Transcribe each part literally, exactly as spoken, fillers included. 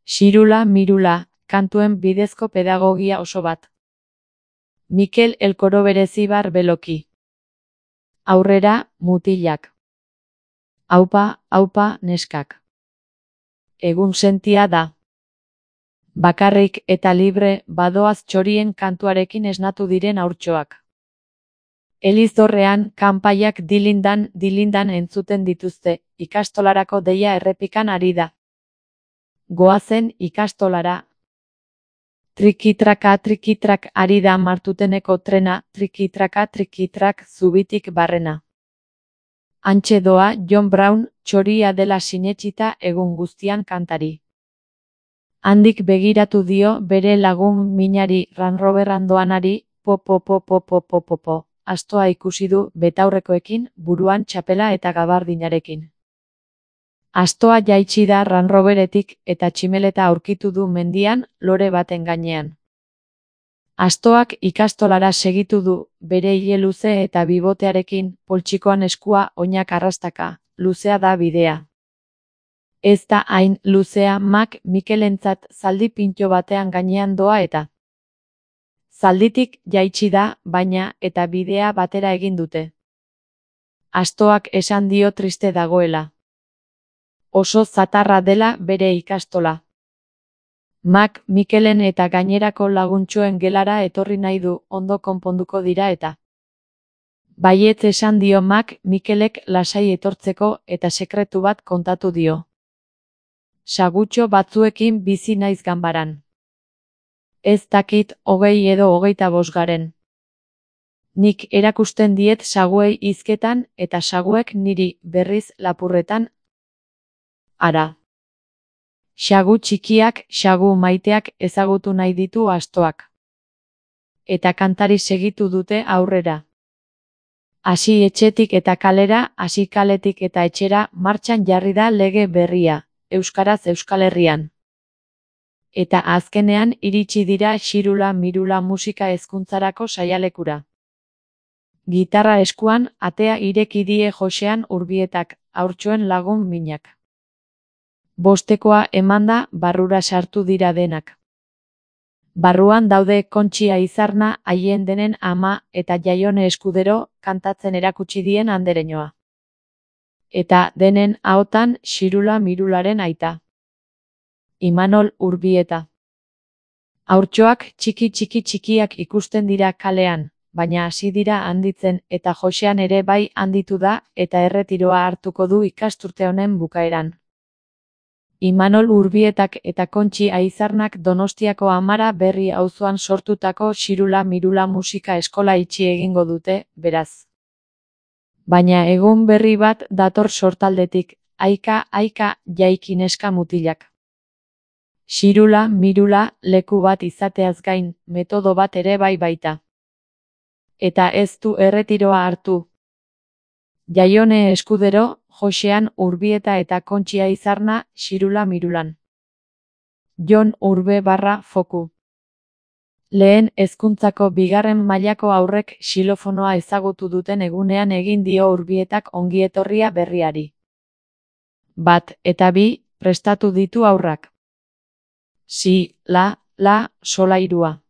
Xirula Mirula, kantuen bidezko pedagogia oso bat. Mikel Elkoro berezibar beloki. Aurrera, mutilak. Aupa, aupa, neskak. Egun sentia da. Bakarrik eta libre badoaz txorien kantuarekin esnatu diren haurtxoak. Elizorrean, kanpaiak dilindan, dilindan entzuten dituzte, ikastolarako deia errepikan ari da. Goazen ikastolara. Trikitraka trikitrak ari da Martuteneko trena, trikitraka trikitrak zubitik barrena. Hantxe doa John Brown, txoria dela sinetsita egun guztian kantari. Handik begiratu dio bere lagun minari Ranrover andoanari, po po po po po po po po, astoa ikusi du betaurrekoekin, buruan txapela eta gabardinarekin. Astoa jaitsi da Ranroveretik eta tximeleta aurkitu du mendian, lore baten gainean. Astoak ikastolara segitu du, bere ile luze eta bibotearekin, poltsikoan eskua oinak arrastaka, luzea da bidea. Ez da hain luzea Mak Mikelentzat zaldi pintxo batean gainean doa eta. Zalditik jaitsi da, baina, eta bidea batera egin dute. Astoak esan dio triste dagoela. Oso zatarra dela bere ikastola. Mak Mikelen eta gainerako laguntxoen gelara etorri nahi du, ondo konponduko dira eta. Baietz esan dio Mak Mikelek lasai etortzeko eta sekretu bat kontatu dio. Sagutxo batzuekin bizi naiz ganbaran. Ez dakit hogei edo hogeita bosgaren. Nik erakusten diet saguei hizketan eta saguek niri berriz lapurretan. Ara. Sagu txikiak, sagu maiteak ezagutu nahi ditu astoak. Eta kantari segitu dute aurrera. Hasi etxetik eta kalera, hasi kaletik eta etxera, martxan jarri da lege berria, euskaraz Euskal Herrian. Eta azkenean iritsi dira Xirula Mirula musika hezkuntzarako saialekura. Gitarra eskuan, atea ireki die Josean Urbietak, haurtxoen lagun minak. Bostekoa emanda, barrura sartu dira denak. Barruan daude Kontxi Aizarna, haien denen ama, eta Jaione Eskudero, kantatzen erakutsi dien andereñoa. Eta denen ahotan Xirula Mirularen aita. Imanol Urbieta. Haurtxoak txiki txiki txikiak ikusten dira kalean, baina hasi dira handitzen eta Josean ere bai handitu da eta erretiroa hartuko du ikasturte honen bukaeran. Imanol Urbietak eta Kontxi Aizarnak Donostiako Amara Berri auzoan sortutako Xirula Mirula musika eskola itxi egingo dute, beraz. Baina egun berri bat dator sortaldetik, aika, aika, jaiki neska mutilak. Xirula Mirula leku bat izateaz gain, metodo bat ere bai baita. Eta ez du erretiroa hartu. Jaione Eskudero, Josean Urbieta eta Kontxi Aizarna, Xirula Mirulan. Jon Urbe barra foku. Lehen hezkuntzako bigarren mailako aurrek xilofonoa ezagutu duten egunean egin dio Urbietak ongietorria berriari. Bat eta bi, prestatu ditu aurrak. Si, la, la, solairua.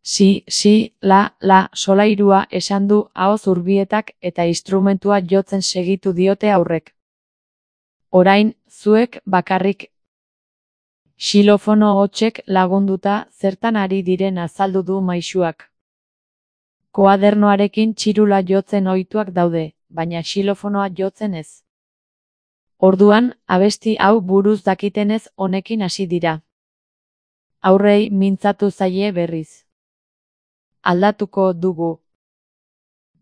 Si, si, la, la, solairua esan du ahoz Urbietak eta instrumentua jotzen segitu diote aurrek. Orain, zuek bakarrik. Xilofono hotsek lagunduta zertan ari diren azaldu du maisuak. Koadernoarekin txirula jotzen ohituak daude, baina xilofonoa jotzen ez. Orduan, abesti hau buruz dakitenez honekin hasi dira. Aurrei mintzatu zaie berriz. Aldatuko dugu.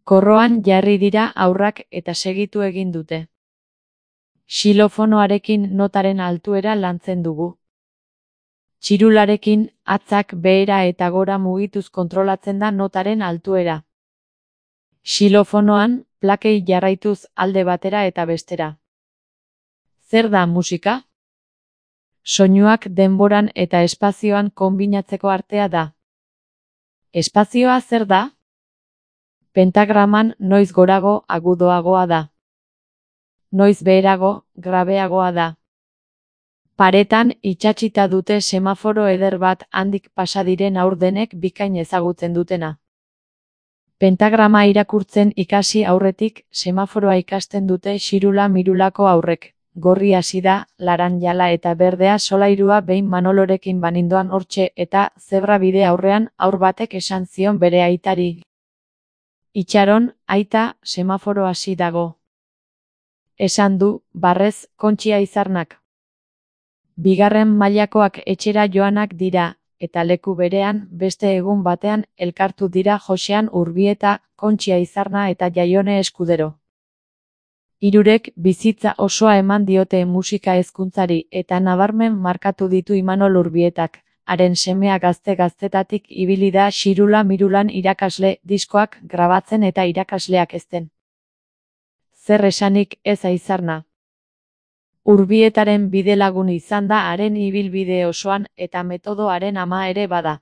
Korroan jarri dira aurrak eta segitu egin dute. Xilofonoarekin notaren altuera lantzen dugu. Txirularekin, atzak behera eta gora mugituz kontrolatzen da notaren altuera. Xilofonoan, plakei jarraituz alde batera eta bestera. Zer da musika? Soinuak denboran eta espazioan konbinatzeko artea da. Espazioa zer da? Pentagraman noiz gorago agudoagoa da. Noiz beherago, grabeagoa da. Paretan itsatsita dute semaforo eder bat handik pasa diren haur denek bikain ezagutzen dutena. Pentagrama irakurtzen ikasi aurretik semaforoa ikasten dute xirula mirulako haurrek. Gorri hasi da, laranjala eta berdea solairua behin Manolorekin banindoan hortxe eta zebra bide aurrean haur batek esan zion bere aitari. Itxaron, aita, semaforo hasi dago. Esan du, barrez, Kontxia Izarnak. Bigarren mailakoak etxera joanak dira, eta leku berean, beste egun batean, elkartu dira Josean Urbieta, Kontxia Izarna eta Jaione Eskudero. Hirurek bizitza osoa eman diote musika hezkuntzari eta nabarmen markatu ditu Imanol Urbietak, haren semea gazte-gaztetatik ibili da xirula mirulan irakasle, diskoak grabatzen eta irakasleak ezten. Zer esanik ez Aizarna. Urbietaren bidelagun izan da haren ibilbide osoan eta metodoaren ama ere bada.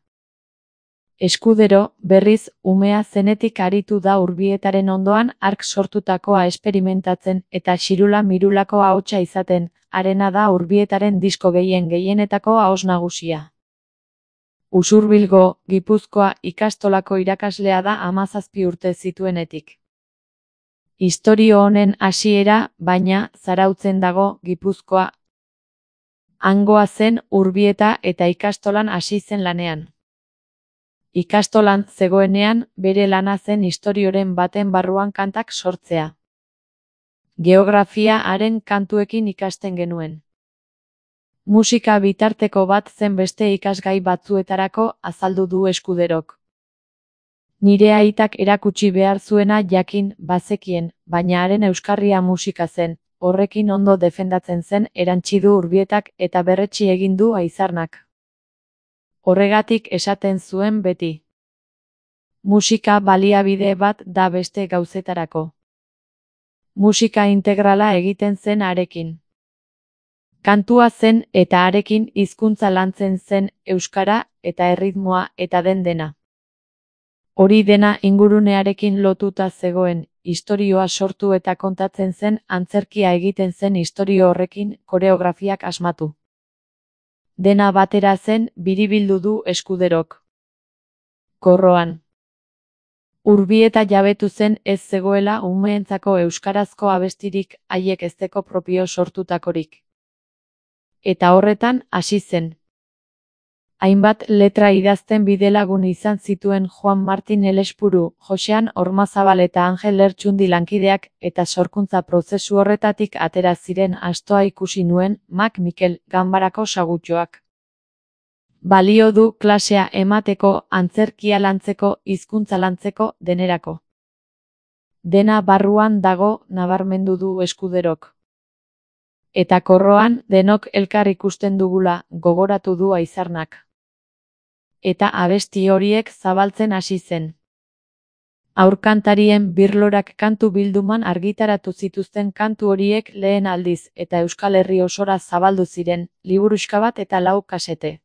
Eskudero, berriz, umea zenetik aritu da Urbietaren ondoan hark sortutakoa esperimentatzen eta xirula mirulako ahotsa izaten, harena da Urbietaren disko gehien gehienetako ahoz nagusia. Usurbilgo, Gipuzkoa ikastolako irakaslea da hamazazpi urte zituenetik. Istorio honen hasiera, baina, Zarautzen dago, Gipuzkoa. Hangoa zen Urbieta eta ikastolan hasi zen lanean. Ikastolan zegoenean, bere lana zen istorioren baten barruan kantak sortzea. Geografia haren kantuekin ikasten genuen. Musika bitarteko bat zen beste ikasgai batzuetarako azaldu du Eskuderok. Nire aitak erakutsi behar zuena jakin bazekien, baina haren euskarria musika zen, horrekin ondo defendatzen zen erantsi du Urbietak eta berretsi egin du Aizarnak. Horregatik esaten zuen beti. Musika baliabide bat da beste gauzetarako. Musika integrala egiten zen harekin. Kantua zen eta harekin hizkuntza lantzen zen euskara eta erritmoa eta den dena. Hori dena ingurunearekin lotuta zegoen, istorioa sortu eta kontatzen zen antzerkia egiten zen istorio horrekin koreografiak asmatu. Dena batera zen biribildu du Eskuderok. Korroan. Urbieta jabetu zen ez zegoela umeentzako euskarazko abestirik haiek ezteko propio sortutakorik. Eta horretan hasi zen. Hainbat letra idazten bidelagun izan zituen Juan Martin Elespuru, Josean Ormazabal eta Angel Lertxundi lankideak eta sorkuntza prozesu horretatik atera ziren astoa ikusi nuen Mak Mikel ganbarako sagutxoak. Balio du klasea emateko, antzerkia lantzeko, hizkuntza lantzeko, denerako. Dena barruan dago nabarmendu du Eskuderok. Eta korroan denok elkar ikusten dugula gogoratu du Aizarnak. Eta abesti horiek zabaltzen hasi zen. Aurkantarien birlorak kantu bilduman argitaratu zituzten kantu horiek lehen aldiz eta Euskal Herri osora zabaldu ziren, liburuxka bat eta lau kasete.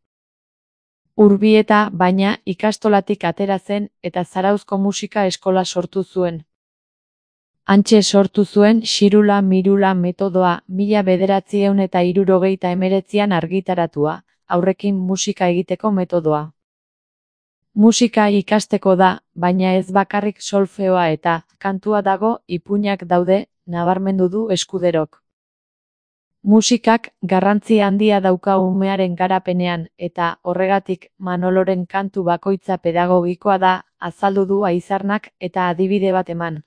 Urbieta, baina, ikastolatik atera zen eta Zarauzko musika eskola sortu zuen. Hantxe sortu zuen xirula mirula metodoa mila bederatziehun eta hirurogeita hemeretzian argitaratua, aurrekin musika egiteko metodoa. Musika ikasteko da, baina ez bakarrik solfeoa eta kantua dago ipuinak daude, nabarmendu du Eskuderok. Musikak garrantzi handia dauka umearen garapenean eta horregatik Manoloren kantu bakoitza pedagogikoa da, azaldu du Aizarnak eta adibide bat eman.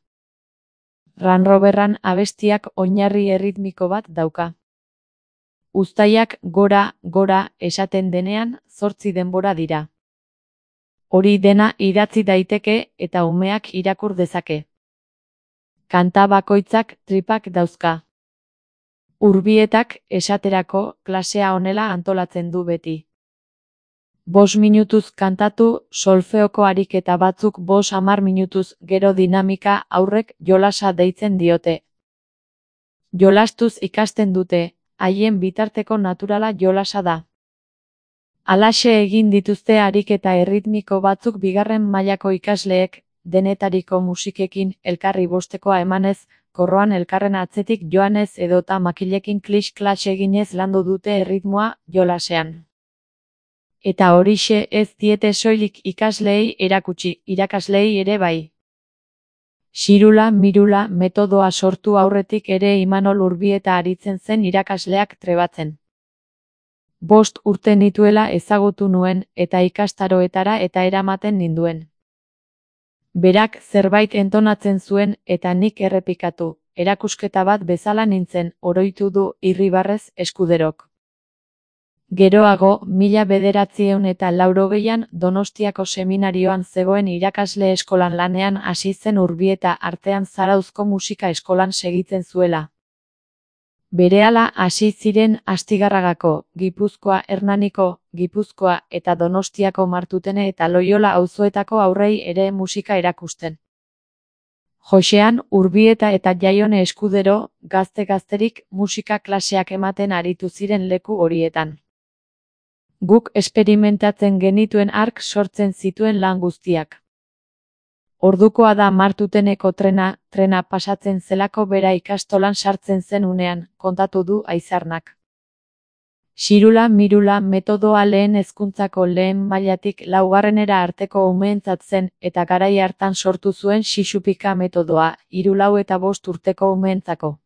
Ranroberran abestiak oinarri erritmiko bat dauka. Uztaiak gora, gora esaten denean zortzi denbora dira. Hori dena idatzi daiteke eta umeak irakur dezake. Kanta bakoitzak tripak dauzka. Urbietak, esaterako, klasea honela antolatzen du beti. Bos minutuz kantatu, solfeoko ariketa batzuk bos hamar minutuz gero dinamika aurrek jolasa deitzen diote. Jolastuz ikasten dute, haien bitarteko naturala jolasa da. Halaxe egin dituzte ariketa erritmiko batzuk bigarren mailako ikasleek, denetariko musikekin elkarri bostekoa emanez, korroan elkarren atzetik joanez edota makilekin kliks-klaks eginez landu dute erritmoa jolasean. Eta horixe ez diete soilik ikasleei erakutsi, irakasleei ere bai. Xirula Mirula metodoa sortu aurretik ere Imanol Urbieta aritzen zen irakasleak trebatzen. Bost urte nituela ezagutu nuen eta ikastaroetara eta eramaten ninduen. Berak zerbait entonatzen zuen eta nik errepikatu, erakusketa bat bezala nintzen, oroitu du Irribarrez Eskuderok. Geroago, mila bederatziehun eta laurogeian Donostiako seminarioan zegoen irakasle eskolan lanean hasi zen Urbieta artean Zarauzko musika eskolan segitzen zuela. Berehala hasi ziren Astigarragako, Gipuzkoa Hernaniko, Gipuzkoa eta Donostiako Martutene eta Loiola auzoetako haurrei ere musika erakusten. Joxean, Urbieta eta Jaione Eskudero, gazte-gazterik musika klaseak ematen aritu ziren leku horietan. Guk esperimentatzen genituen hark sortzen zituen lan guztiak. Ordukoa da Martuteneko trena, trena pasatzen zelako bera ikastolan sartzen zen unean, kontatu du Aizarnak. Xirula Mirula metodoa lehen hezkuntzako lehen mailatik laugarrenera arteko umeentzat zen eta garai hartan sortu zuen Xixupika metodoa, hiru lau eta bost urteko umeentzako.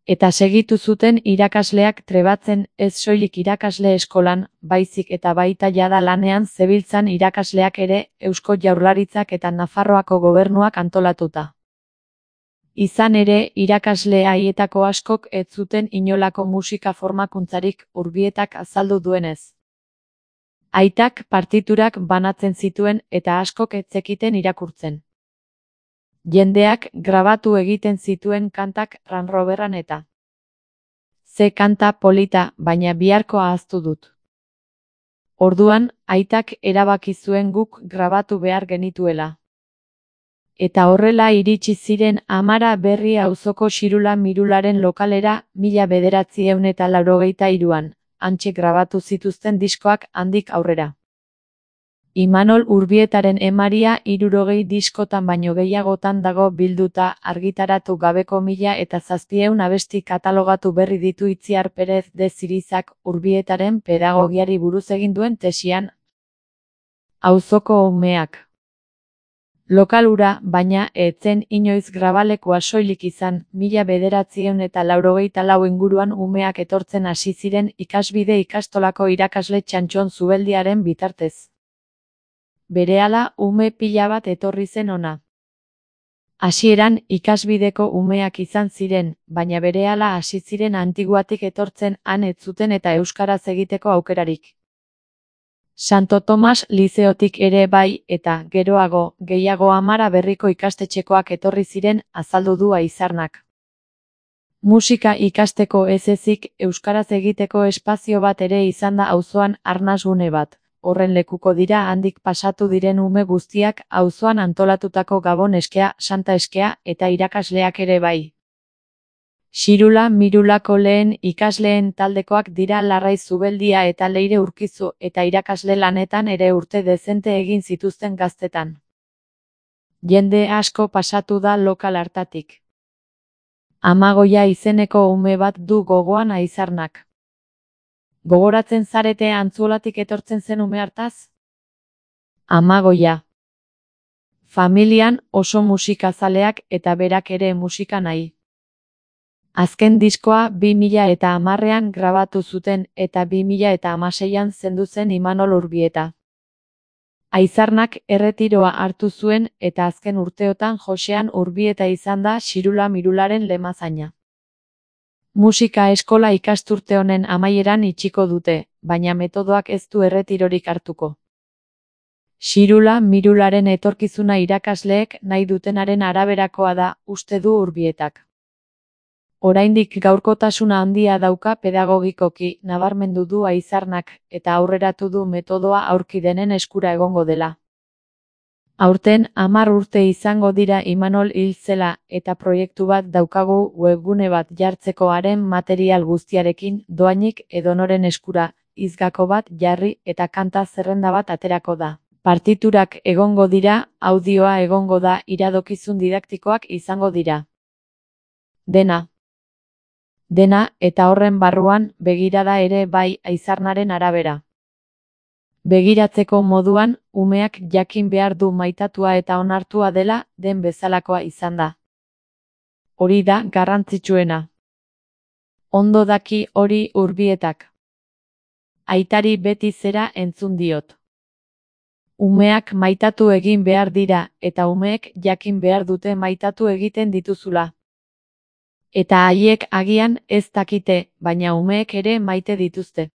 Eta segitu zuten irakasleak trebatzen ez soilik irakasle eskolan, baizik eta baita jada lanean zebiltzan irakasleak ere Eusko Jaurlaritzak eta Nafarroako gobernuak antolatuta. Izan ere, irakasle haietako askok ez zuten inolako musika formakuntzarik Urbietak azaldu duenez. Aitak partiturak banatzen zituen eta askok ez zekiten irakurtzen. Jendeak grabatu egiten zituen kantak ranroberran eta. Ze kanta polita, baina biharko ahaztu dut. Orduan, aitak erabaki zuen guk grabatu behar genituela. Eta horrela iritsi ziren Amara Berri auzoko Xirula Mirularen lokalera mila bederatziehun eta laurogeita hiruan, hantxe grabatu zituzten diskoak handik aurrera. Imanol Urbietaren emaria hirurogei diskotan baino gehiagotan dago bilduta argitaratu gabeko mila eta zazpieun abesti katalogatu berri ditu Itziar Perez de Zirizak Urbietaren pedagogiari buruz egin duen tesian. Auzoko umeak. Lokal hura, baina, ez zen inoiz grabalekua soilik izan, mila bederatziehun eta laurogeita lau inguruan umeak etortzen hasi ziren ikasbide ikastolako irakasle Txantxon Zubeldiaren bitartez. Berehala ume pila bat etorri zen ona. Hasieran ikasbideko umeak izan ziren, baina berehala hasi ziren Antiguatik etortzen han ez zuten eta euskaraz egiteko aukerarik. Santo Tomas Lizeotik ere bai eta, geroago, gehiago Amara Berriko ikastetxekoak etorri ziren, azaldu du Aizarnak. Musika ikasteko ez ezik, euskaraz egiteko espazio bat ere izan da auzoan arnasgune bat. Horren lekuko dira handik pasatu diren ume guztiak auzoan antolatutako Gabon eskea, Santa eskea eta irakasleak ere bai. Xirula Mirulako lehen ikasleen taldekoak dira Larrai Zubeldia eta Leire Urkizu eta irakasle lanetan ere urte dezente egin zituzten gaztetan. Jende asko pasatu da lokal hartatik. Amagoia izeneko ume bat du gogoan Aizarnak. Gogoratzen zarete Antzuolatik etortzen zen ume hartaz? Amagoia. Familian oso musikazaleak eta berak ere musika nahi. Azken diskoa bi mila eta hamarrean grabatu zuten eta bi mila eta hamaseian zendu zen Imanol Urbieta. Aizarnak erretiroa hartu zuen eta azken urteotan Joxean Urbieta izan da Xirula Mirularen lemazaina. Musika eskola ikasturte honen amaieran itxiko dute, baina metodoak ez du erretirorik hartuko. Xirula Mirularen etorkizuna irakasleek nahi dutenaren araberakoa da, uste du Urbietak. Oraindik gaurkotasuna handia dauka pedagogikoki, nabarmendu du Aizarnak, eta aurreratu du metodoa aurki denen eskura egongo dela. Aurten hamar urte izango dira Imanol hil zela eta proiektu bat daukagu webgune bat jartzeko haren material guztiarekin doainik edonoren eskura, hizgako bat jarri eta kanta zerrenda bat aterako da. Partiturak egongo dira, audioa egongo da, iradokizun didaktikoak izango dira. Dena. Dena, eta horren barruan, begirada ere bai aizarnaren arabera. Begiratzeko moduan, umeak jakin behar du maitatua eta onartua dela, den bezalakoa izan da. Hori da garrantzitsuena. Ondo daki hori Urbietak. Aitari beti zera entzun diot. Umeak maitatu egin behar dira, eta umeek jakin behar dute maitatu egiten dituzula. Eta haiek agian ez dakite, baina umeek ere maite dituzte.